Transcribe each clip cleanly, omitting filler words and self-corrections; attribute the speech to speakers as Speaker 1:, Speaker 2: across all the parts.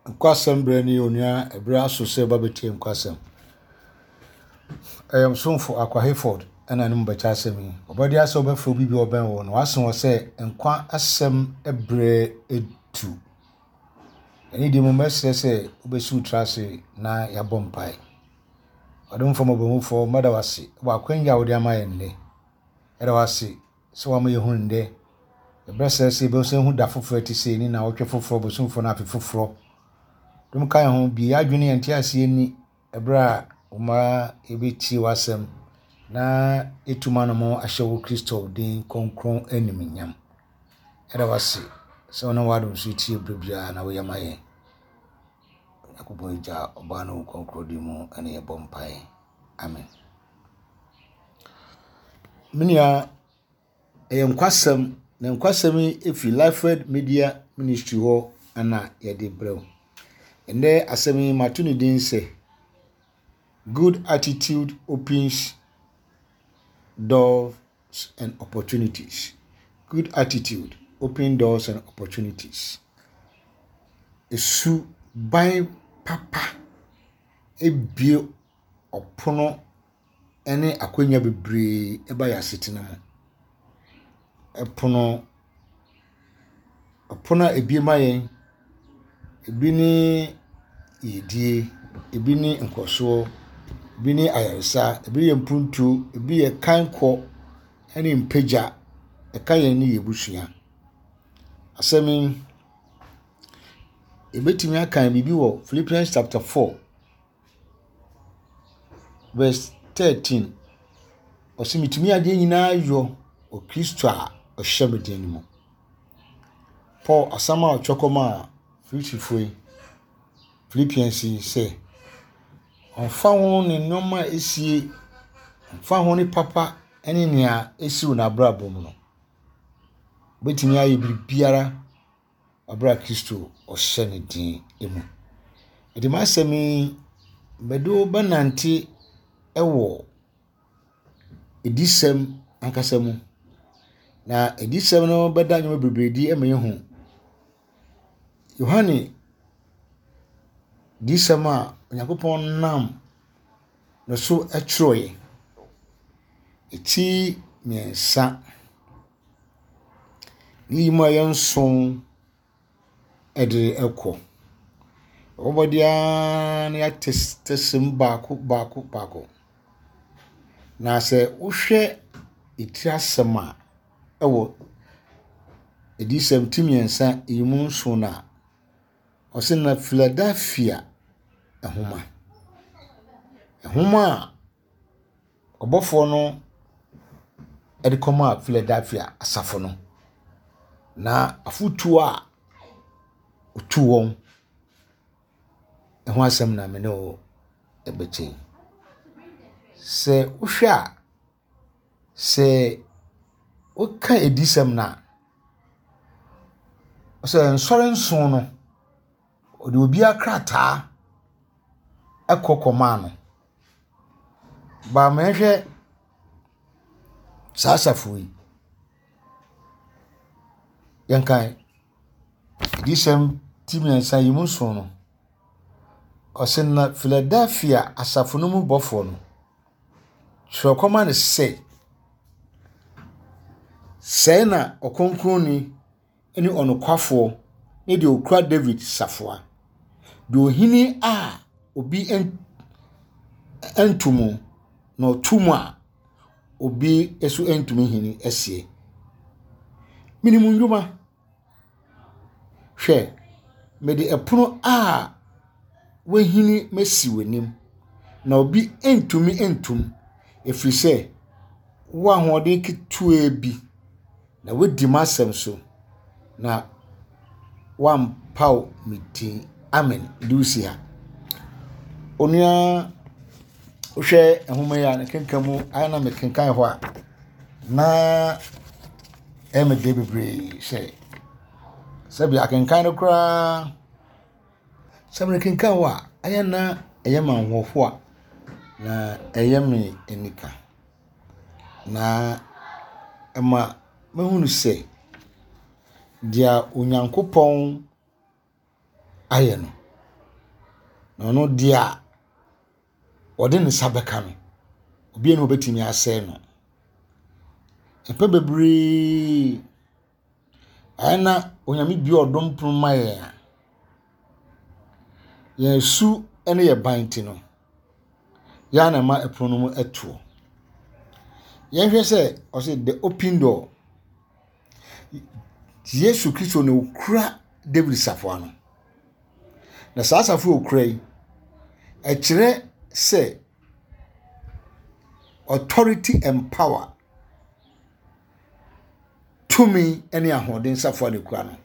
Speaker 1: Nkwasɛm berɛ ni onua, ɛberɛ aso sɛ woba bɛtie nkwasɛm. Ɛyɛ ɔsomfo Akwa Hayford ɛna ne mu bɛkyɛ asɛm yi. Ɔbɛde asɛ wobɛfrɛ obi bi ɔbɛn wo na wase wɔ sɛ nkwa asɛm berɛ etu. Ɛne deɛ mu mɛsrɛ sɛ wobɛsi wo tiri ase na yɛabɔ mpae. Ɔdomfoɔ mmɔborɔhufoɔ, mɛda wo ase wɔ akwanya a wode ama yɛn nnɛ. Yɛda wo ase sɛ woama yɛhunu nnɛ. Yɛbɛsrɛ sɛ yɛbɛsan hu da foforɔ a ɛte sei ne nnawɔtwe foforɔ, bosom foforɔ ne afe foforɔ. Dom ka yɛn ho, bue yɛn adwene ne yɛn nteaseɛ ni ɛberɛ a woma yɛbɛtie w'asɛm na yɛtu ma no mo ahyɛ wo Kristo din kronkron animuonyam. Yɛda wo ase sɛ wonam w'adom so tie berɛ biara na woyɛ ma yɛn. Onyankopɔn Agya, Ɔba ne wo Kronkron din mu ɛne yɛbɔ mpaeɛ. Amen. Me nua, ɛyɛ nkwasɛm, na nkwasɛm yi fi Lifeword Media Ministry hɔ na yɛde brɛ wo. Ɛnnɛ asɛm yi mato ne din sɛ Good Attitude Opens Doors and Opportunities. Good attitude open doors and opportunities. Esu ban papa ebue ɔpono ne akwannya bebree ba yɛn asetena mu. Ɛpono, ɔpono a ebue ma yɛn, ebi ne yiedie, ebi ne nkɔsoɔ, ebi ne ayaresa, ebi yɛ mpuntuo, ebi yɛ kankɔ ne mpagya. Ɛka yɛn ne yɛn abusua. Asɛm yi, yɛbɛtumi aka biribi wɔ Philippians chapter 4 Verse 13, ɔse metumi adeɛ nyinaa yɔ wɔ Kristo a ɔhyɛ me den no mu. Paul asɛm a ɔtwerɛ kɔmaa Filipifoɔ yi, Philippians yi sɛ, ɔmfa ho ne nneɛma a esie, ɔmfa ho ne papa ne nea esi wɔ n'abrabɔ mu no, obetumi ayɛ biribiara Ɔberɛ a Kristo ɔhyɛ ne den mu. Mede m'asɛm yi mede wo bɛnante wɔ adiyisɛm ankasa mu. Na adiyisɛm no bɛda nneɛma bebree adi ama yɛahu. Yohane adiyisɛm a Onyankopɔn nam ne so twerɛeɛ, ti mmiɛnsa. Ne yi mu a ɛyɛ nson de rekɔ. Yɛbɔ mmɔden ara na yɛate mu baako baako baako. Na sɛ wohwɛ etiri asɛm a ɛwɔ Adiyisɛm ti mmiɛnsa yi mu nson no a, ɔse na Philadelphia nhoma. Nhoma a ɔbɔfoɔ no de kɔmaa Filadelfia asafo no, na afotuo a ɔtuu wɔn ho asɛm na me ne wo bɛkyɛ yi. Sɛ wohwɛ a, sɛ woka adiyisɛm no a, sɛ nsɔre nson no, ɔde obiara krataa kɔ kɔmaa no. Ba ma yɛnhwɛ saa asafo yi. Yɛnkan Adiyisɛm ti mmiɛnsa yi mu nson no. Ɔse na Filadelfia asafo no mu bɔfoɔ no, twerɛ kɔma no sɛ, Sɛɛ na ɔkronkronni ne ɔnokwafoɔ ne deɛ ɔkura Dawid safoa, deɛ ɔhini a obi nto mu, na ɔto mu a obi nso ntumi nhini seɛ. Menim wo nnwuma. Hwɛ, mede ɛpono a woahini masi w'anim, na obi ntumi ntom, ɛfiri sɛ wowɔ ahoɔden ketewaa bi. Na woadi m'asɛm so, na woampaw me din. Amen. De wo si ha. Onua, wohwɛ nhoma yi a ne kenkan mu ayɛ na mekenkan hɔ a, na ɛyɛ me dɛ bebree sɛ sɛbi akenkan no koraa sɛ merekenkan hɔ a ɛyɛ na ɛyɛ me ahoɔfo a na ɛyɛ me anika. Na ɛma mehunu sɛ deɛ Onyankopɔn ayɛ no, Na ɔno deɛ a ɔde ne nsa bɛka no, obiara nni hɔ a ɔbɛtumi asɛe no. Nnipa bebree ayɛ na Onyame bue ɔdom pono ma yɛn a, yɛn su ne yɛn ban nti no, yɛn ara na ɛma ɛpono no mu toɔ. Yɛnhwɛ sɛ ɔse the open door. Yesu Kristo na okura David safoa no. Na saa safoa a okura yi, ɛkyerɛ sɛ authority and power, tumi ne ahoɔden safoa na ekura no.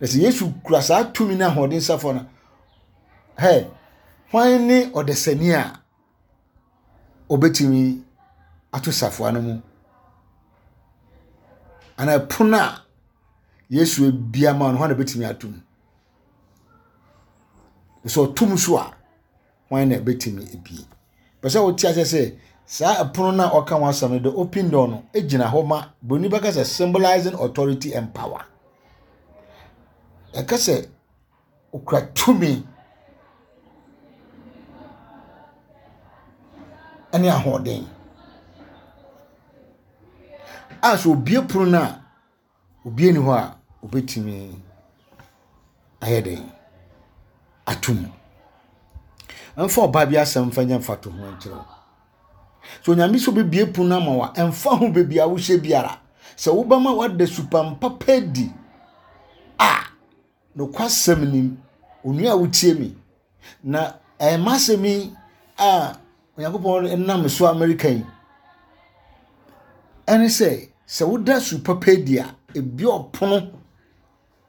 Speaker 1: Na sɛ Yesu kura saa tumi ne ahoɔden safoa no, hɛ, hwan ne ɔdasani a obetumi ato safoa no mu? Anaa ɛpono a Yesu abue ama no, hwan na obetumi ato mu? Sɛ ɔto mu so a, hwan na ebetumi abue? Pɛ sɛ wote aseɛ sɛ saa ɛpono no a ɔka ho asɛm no, the open door no, gyina hɔ ma buroni bɛka sɛ symbolizing authority and power. Ɛka sɛ okura tumi ne ahoɔden a sɛ obue pono no a, obiara nni hɔ a obetumi ayɛ dɛn ato mu. Mfa ɔbaa bi asɛm mfa nyɛ mfatoho nkyerɛ wo. Sɛ Onyame sɛ obebue pono no ama wo a, ɛmfa ho baabi a wohyɛ biara, sɛ wobɛma woada suban papa adi a, Nokwasɛm ni, onua a wotie me, na ɛyɛ m'asɛm yi a Onyankopɔn nam me so a mereka yi, ɛne sɛ, sɛ woda su papa adi a, ebue ɔpono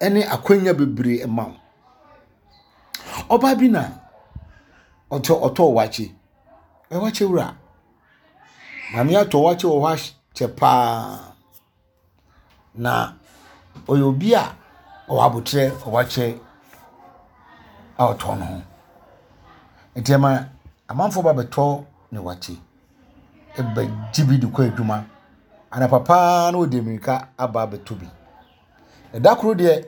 Speaker 1: ne akwannya bebree ma wo. Ɔbaa bi na ɔtɔ ɔtɔɔ wakye. Ɛyɛ wakye wura. Maame atɔ wakye wɔ hɔ akyɛ paa. Na ɔyɛ obi a ɔwɔ aboterɛ wɔ wakyɛ a ɔtɔn no ho. Nti ɛma amanfoɔ ba bɛtɔ ne wakye bɛgye bi de kɔ adwuma. Anɔpa pa ara na wɔde mmirika aba abɛtɔ bi. Da koro deɛ,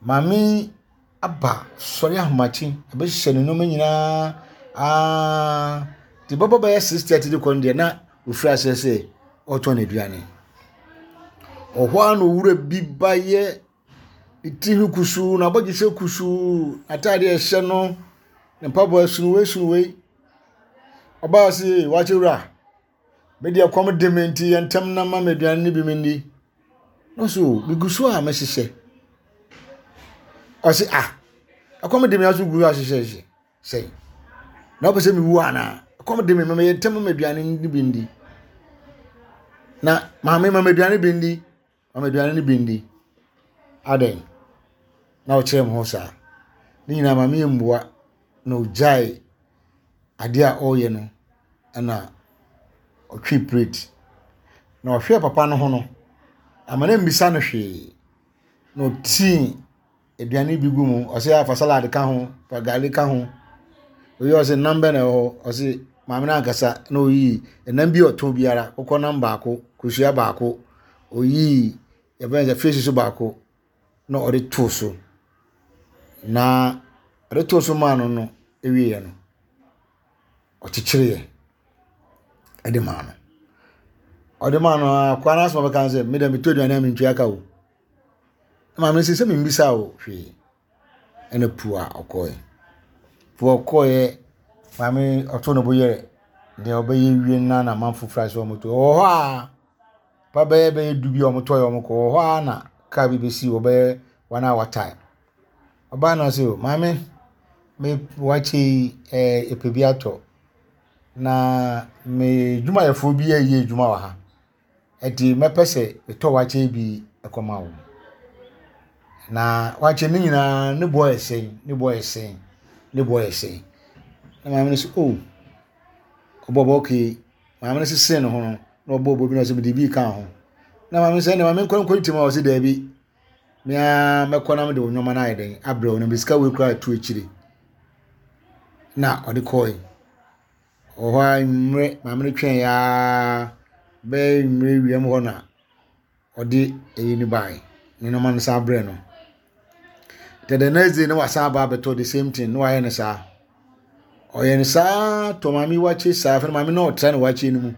Speaker 1: Maame yi aba sɔre ahomakye abɛhyehyɛ ne nneɛma nyinaa aa nti bɛbɔ bɛyɛ 6:30 de kɔ no deɛ na ofiri aseɛ sɛ ɔretɔn aduane. Wɔ hɔ ara na owura bi ba yɛ ne tiri ho kusuu, n'abɔdwesɛ kusuu, n'ataadeɛ a ɛhyɛ no, ne mpaboa sunu wei sunu wei. Ɔbaa ɔse wakye wura. Me deɛ kɔm de me nti yɛ ntɛm na ma me aduane no bi menni. Na ɔse o, megu so a mɛhyehyɛ. Ɔse ah, ɛkɔm de me aso gu so ahyehyɛ hye sɛn? Na wopɛ sɛ mewu anaa? Ɛkɔm de me ma meyɛ ntɛm ma aduane no bi ndi. Na maame ma me aduane bi ndi. Ma me aduane no bi ndi. Adɛn na wokyerɛ me ho saa? Ne nyinaa maame yi mmua na ɔgyae adeɛ a ɔreyɛ no ɛna ɔtwee plate. Na ɔhwɛɛ papa no ho no, amma no ammisa no hwee. Na ɔtii aduane bi gu mu. Ɔse ah fa salad ka ho, fa gari ka ho. Owie ɔse nam bɛn na ɛwɔ hɔ? Ɔse maame no ankasa na oyii nam bi a ɔtɔn biara, akokɔ nam baako, kosua baako. Oyii yɛfrɛ no sɛ fish nso baako na ɔde too so. Na ɔde too so maa no no wieeɛ no, ɔkyekyereeɛ de maa no. Ɔde maa no ara, akoa no asɛm a ɔbɛka ne sɛ, me deɛ metɔ aduane a mentua ka o. Maame no se sɛ memmisaa wo hwee. Ɛna puu a ɔkɔeɛ. Puu a ɔkɔeɛ, maame ɔtoo ne bo yɛɛ deɛ ɔbɛyɛ wie no na amanfoɔ firi aseɛ wɔto. Ɔwɔ hɔ a, nnipa bɛyɛ bɛyɛ du bi a wɔtɔeɛ wɔkɔ. Ɔwɔ hɔ ara na kaa bi bɛsii hɔ bɛyɛ one hour time. Ɔbaa no ɔse maame, me wakye yi ɛɛ yɛpɛ bi atɔ. Na me dwumayɛfoɔ bi reyɛ adwuma wɔ ha. Enti mɛpɛ sɛ metɔ wakyɛ yi bi kɔma wo. Na wakyɛ no nyinaa ne boɔ yɛ sɛn? Ne boɔ yɛ sɛn? Ne boɔ yɛ sɛn? Na maame no sɛ oh, ɔbɔbɔ okay. Maame no sesee ne ho no, na ɔbɔɔ bɔ bi na ɔsɛ mede bi ka ho. Na maame no sɛ ɛnna maame nkɔ nkɔ ntim a ɔsɛ daabi. Me ara mɛkɔ na mede wo nneɛma no ayɛ dɛn abrɛ wo na mede sika wei koraa ato akyire. Na ɔde kɔe. Wɔ hɔ ara anwummerɛ, maame no twɛn ara bɛyɛ anwummerɛ awia mu hɔ na ɔde ayi no baeɛ, ne nneɛma no san brɛɛ no. Then the next day na wasan aba abɛtɔ the same thing na wayɛ no saa. Ɔyɛ no saa tɔ maame wakye saa afei maame na ɔtra ne wakye no mu.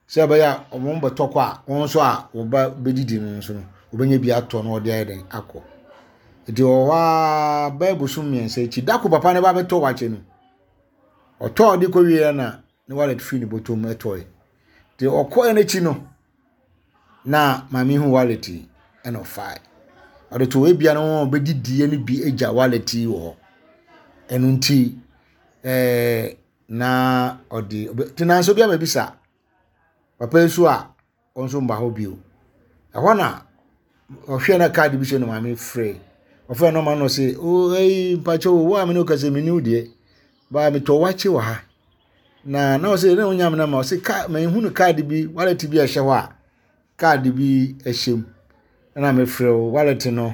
Speaker 1: Sɛ ɛbɛyɛ a wɔn bɛtɔ kɔ a wɔn nso a wɔba bɛdidi no nso no wɔbɛnya bi atɔ na wɔde ayɛ dɛn akɔ. Nti wɔ hɔ ara bɛyɛ bosom mmiɛnsa akyi da ko papa no ba bɛtɔ wakye no ɔtɔɔ de kɔ wieɛ na ne wallet firi ne bɔtɔ mu ɛtɔe. Nti ɔkɔɛ n'akyi no na maame hu wallet yi ɛna ɔfae. Ɔde to ebia no wɔn bɛdidiɛ no bi agya wallet yi wɔ hɔ. Ɛno nti ɛɛ na ɔde nti nanso obi abɛbisa papa yi so a ɔno nso mma hɔ bio. Ɛhɔ na ɔhwɛ na kaade bi hyɛ no maame frɛ. Ɔfrɛ no ma no ɔse, o ɛyi mpakyɛ o, wo a me ne wo kasa me ni wo deɛ. Baa metɔ wakye wɔ ha. Na na ɔse na wonya me na ma ɔse ka mehu no kaade bi wallet bi a ɛhyɛ hɔ a kaade bi hyɛ mu. Ɛna mefrɛ wo wallet no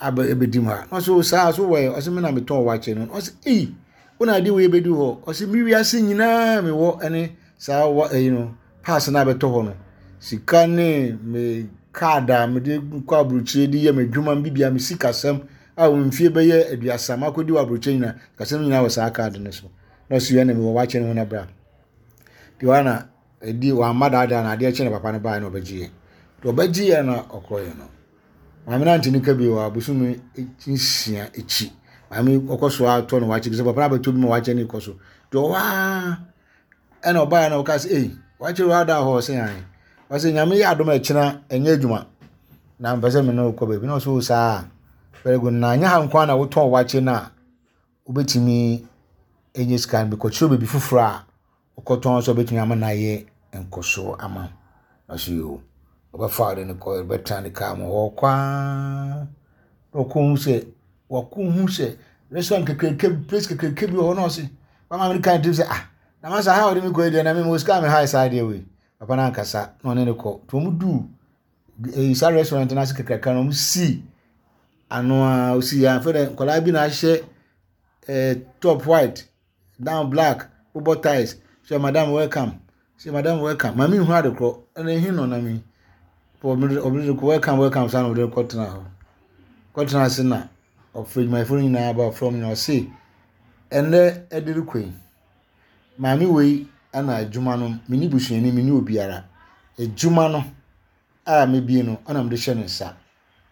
Speaker 1: aba ɛbɛdi mu ha. Na ɔse o saa so wɔ ɔse me na metɔn wakye no. Ɔse ei wo na ade wei bɛdi hɔ. Ɔse me wiase nyinaa mewɔ ɛne saa wa ɛyi no pass no abɛtɔ hɔ no. Sika ne me card a mede kɔ aburokyire de yɛ m'adwuma bibia me sikasɛm a mfie bɛyɛ aduasa makɔdi wɔ aburokyire nyinaa sikasɛm nyinaa wɔ saa card no so. Na ɔse yɛ na mewɔ wakye no ho na bra. Nti hɔ na Ɛdi wamma daadaa no adeɛ kye na papa no baeɛ na ɔbɛgyeeɛ. Nti ɔbɛgyeeɛ na ɔkɔeɛ no, maame no ante ne ka bio abosome nsia akyi. Maame ɔkɔ so ara tɔ no wakye sɛ papa no abɛtɔ bi ma wakye no kɔ so. Nti ɔwɔ ara ɛna ɔbaeɛ na ɔka sɛ ei wakye wɔ ada hɔ ɔsɛ an. Ɔsɛ nyame yɛ adom a ɛkyena ɛnyɛ adwuma na mpɛ sɛ me ne wokɔ baabi na ɔsɛ o saa very good na anyɛ ha nko ara na wotɔn wakye no a wobɛtumi anya sika no bɛkɔkyerɛ baabi foforɔ a wokɔtɔn nso a wobɛtumi ama no ayɛ nkɔsoɔ ama wo. Na ɔse yoo, ɔbɛfa ɔde no kɔ, ɔbɛtena ne kaa mu, ɔkɔ ara na ɔkɔhu sɛ, wakɔhu sɛ restaurant kakraka bi, place kakraka bi wɔ hɔ na ɔse, mama me kan tirim sɛ ah, na masa ha a ɔde me kɔ yi deɛ na me mewɔ sika a me hae saa adeɛ wei. Papa no ankasa na ɔne no kɔ. Nti wɔn duu eh, saa restaurant no ase kakraka no, wɔn sii ano a, ɔsii afei dɛ nkwadaa bi na ahyɛ eh, top white down black wobɔ ties sɛ madam welcome sɛ madam welcome maame nhu ade korɔ ɛna ehi no nam yi ɔde kɔ welcome welcome saa na ɔde kɔ tena hɔ kɔ tena ase na ɔfrɛ adwumayɛfo no nyinaa ba ɔfrɛ wɔn nyinaa ɔse ɛnɛ ɛde rekɔ yi maame wei ɛna adwuma no me ne busuani me ne obiara adwuma no a mebie no ɛna mede hyɛ ne nsa.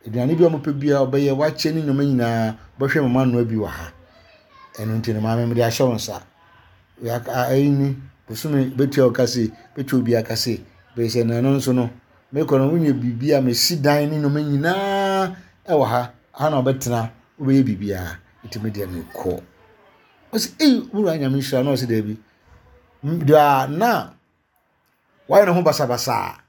Speaker 1: Aduane bi a wɔpɛ biara ɔbɛyɛ, wakyɛ ne nneɛma nyinaa, bɛhwɛ mama anoa bi wɔ ha. Ɛno nti no maame mede ahyɛ wo nsa. Ɛyi ni, bosome bɛtua wo ka sei, bɛtua obiara ka sei. Bɛyɛ sɛ na ɛno nso no, mekɔ no wonyɛ biribi a mesi dan ne nneɛma nyinaa ɛwɔ ha. Ha na ɔbɛtena, wobɛyɛ biribiara. Nti me deɛ mekɔ. Ɔsi, ei, wura nyame nhyira na ɔsi daabi. Deɛ na wayɛ ne ho basabasa a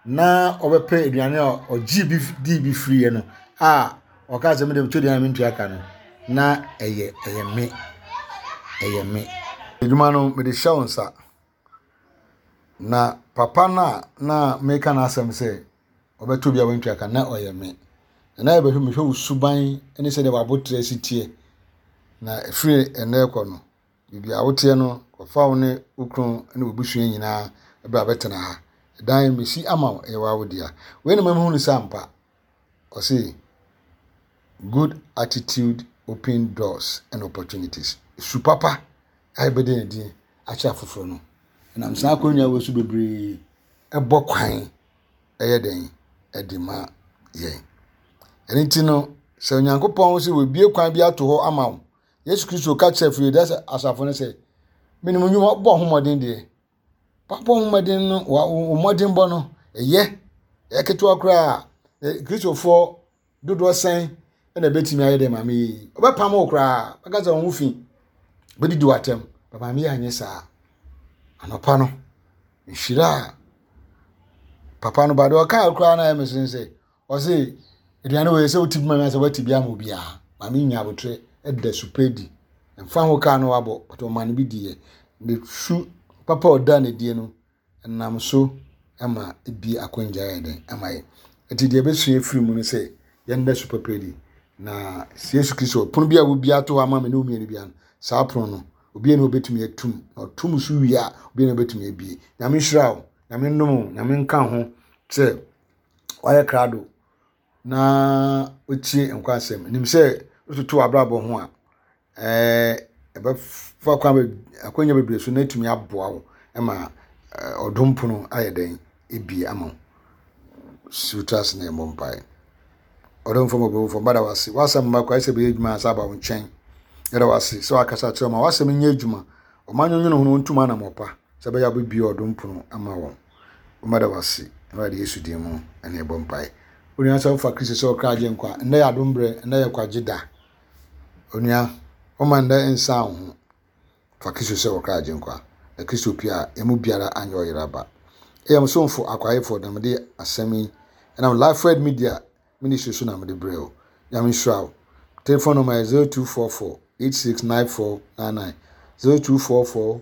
Speaker 1: na ɔbɛpɛ aduane a ɔgye bi dii bi firiiɛ no a ɔkaa sɛ mede metɔ aduane a mentua ka no na ɛyɛ ɛyɛ me ɛyɛ me. Adwuma no mede hyɛ wo nsa na papa no a na meka n'asɛm sɛ ɔbɛtɔ bi a wantua ka na ɔyɛ me na na yɛbɛhwɛ mehwɛ wo suban ne sɛdeɛ w'abotrɛ si teɛ na ɛfiri ɛnnɛ rekɔ no Baabi a woteɛ no, kɔfa wo ne wo kunu ne w'abusua nyinaa bra bɛtena ha. Dan yi, mesi ama wo, ɛyɛ wo dea. Wei na ma mehu no sɛ ampa. Ɔse, good attitude open doors and opportunities. Su papa a yɛbɛda no adi akyerɛ afoforɔ no, ɛnam saa akonnwa wei so bebree ɛbɔ kwan ɛyɛ dɛn ɛde ma yɛn. Ɛno nti no, sɛ Onyankopɔn sɛ wɔbie kwan bi ato hɔ ama wo Yesu Kristo ka kyerɛɛ Filadelfia asafo no sɛ, Menim nnwuma bɔ ho mmɔden deɛ. Wabɔ ho mmɔden no, wo mmɔdenbɔ no, ɛyɛ, ɛyɛ ketewa koraa. Kristofoɔ dodoɔ sɛn na ɛbɛtumi ayɛ dɛ maame yi? Ɔbɛpam wo koraa, bɛka sɛ wo ho fi, bɛdidi w'atɛm. Ba maame yi anyɛ saa. Anɔpa no, nhyira a papa no ba deɛ ɔkaa koraa na ɛyɛ me sen sɛ Ɔse aduane wei sɛ wote bi ma me asɛ woate bi ama obiara. Maame nya abotrɛ da su pa adi. Mfa ho kaa no wabɔ but ɔma no bi diiɛ. Ne su papa a ɔda no adie no nam so ma ebie akwangya yɛ dɛn ama yɛn. Nti deɛ ɛbɛsua afiri mu no sɛ yɛnda su papa adi. Na Yesu Kristo pono bi a wobie ato hɔ ama me ne wo mmienu biara no saa pono no obiara ni obɛtumi atum na ɔtum so wie a obiara ni obɛtumi abie. Nyame nhyira wo, Nyame nnom wo, Nyame nka ho sɛ wayɛ krado. na wotie nkwa asɛm. Nim sɛ wototo w'abrabɔ ho a, ɛɛ ɛbɛfa kwan be akwanya bebree so na atumi aboa wo ma ɔdom pono ayɛ dɛn ebie ama wo. Si wo tiri ase na yɛmmɔ mpae. Ɔdomfo mmɔborɔhufo, mada wo ase. W'asɛm mma kwae sɛ ɛbɛyɛ adwuma ansa aba wo nkyɛn. Yɛda wo ase sɛ wakasa akyerɛ ma w'asɛm nyɛ adwuma. Ɔma nwonwono ho no wɔntum anammɔ pa sɛ ɛbɛyɛ a wobɛbue ɔdom pono ama wɔn. Mada wo ase. Awurade Yesu din mu ɛna yɛbɔ mpae. Onua sɛ wofa Kristo sɛ ɔkra agyenkwa. Nnɛ yɛ adom berɛ, nnɛ yɛ kwagye da. Onua, woma nnɛ nsan wo ho. Fa Kristo sɛ ɔkra agyenkwa. Na Kristo pue a, emu biara anyɛ ɔyera ba. Eyɛ mo somfo Akwa Hayford na mede asɛm yi ɛnam Lifeword Media Ministry so na mede brɛ wo. Nyame nhyira wo. Telephone number yɛ 0244 869499 0244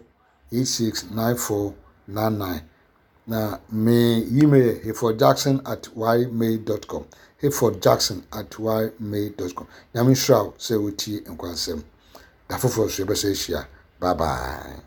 Speaker 1: 869499 Na me email yɛ hayfordjackson at ymail dot com hayfordjackson at ymail dot com. Nyame nhyira wo sɛ wotie nkwansɛm. Da foforɔ nso yɛbɛsan ahyia. Bye bye.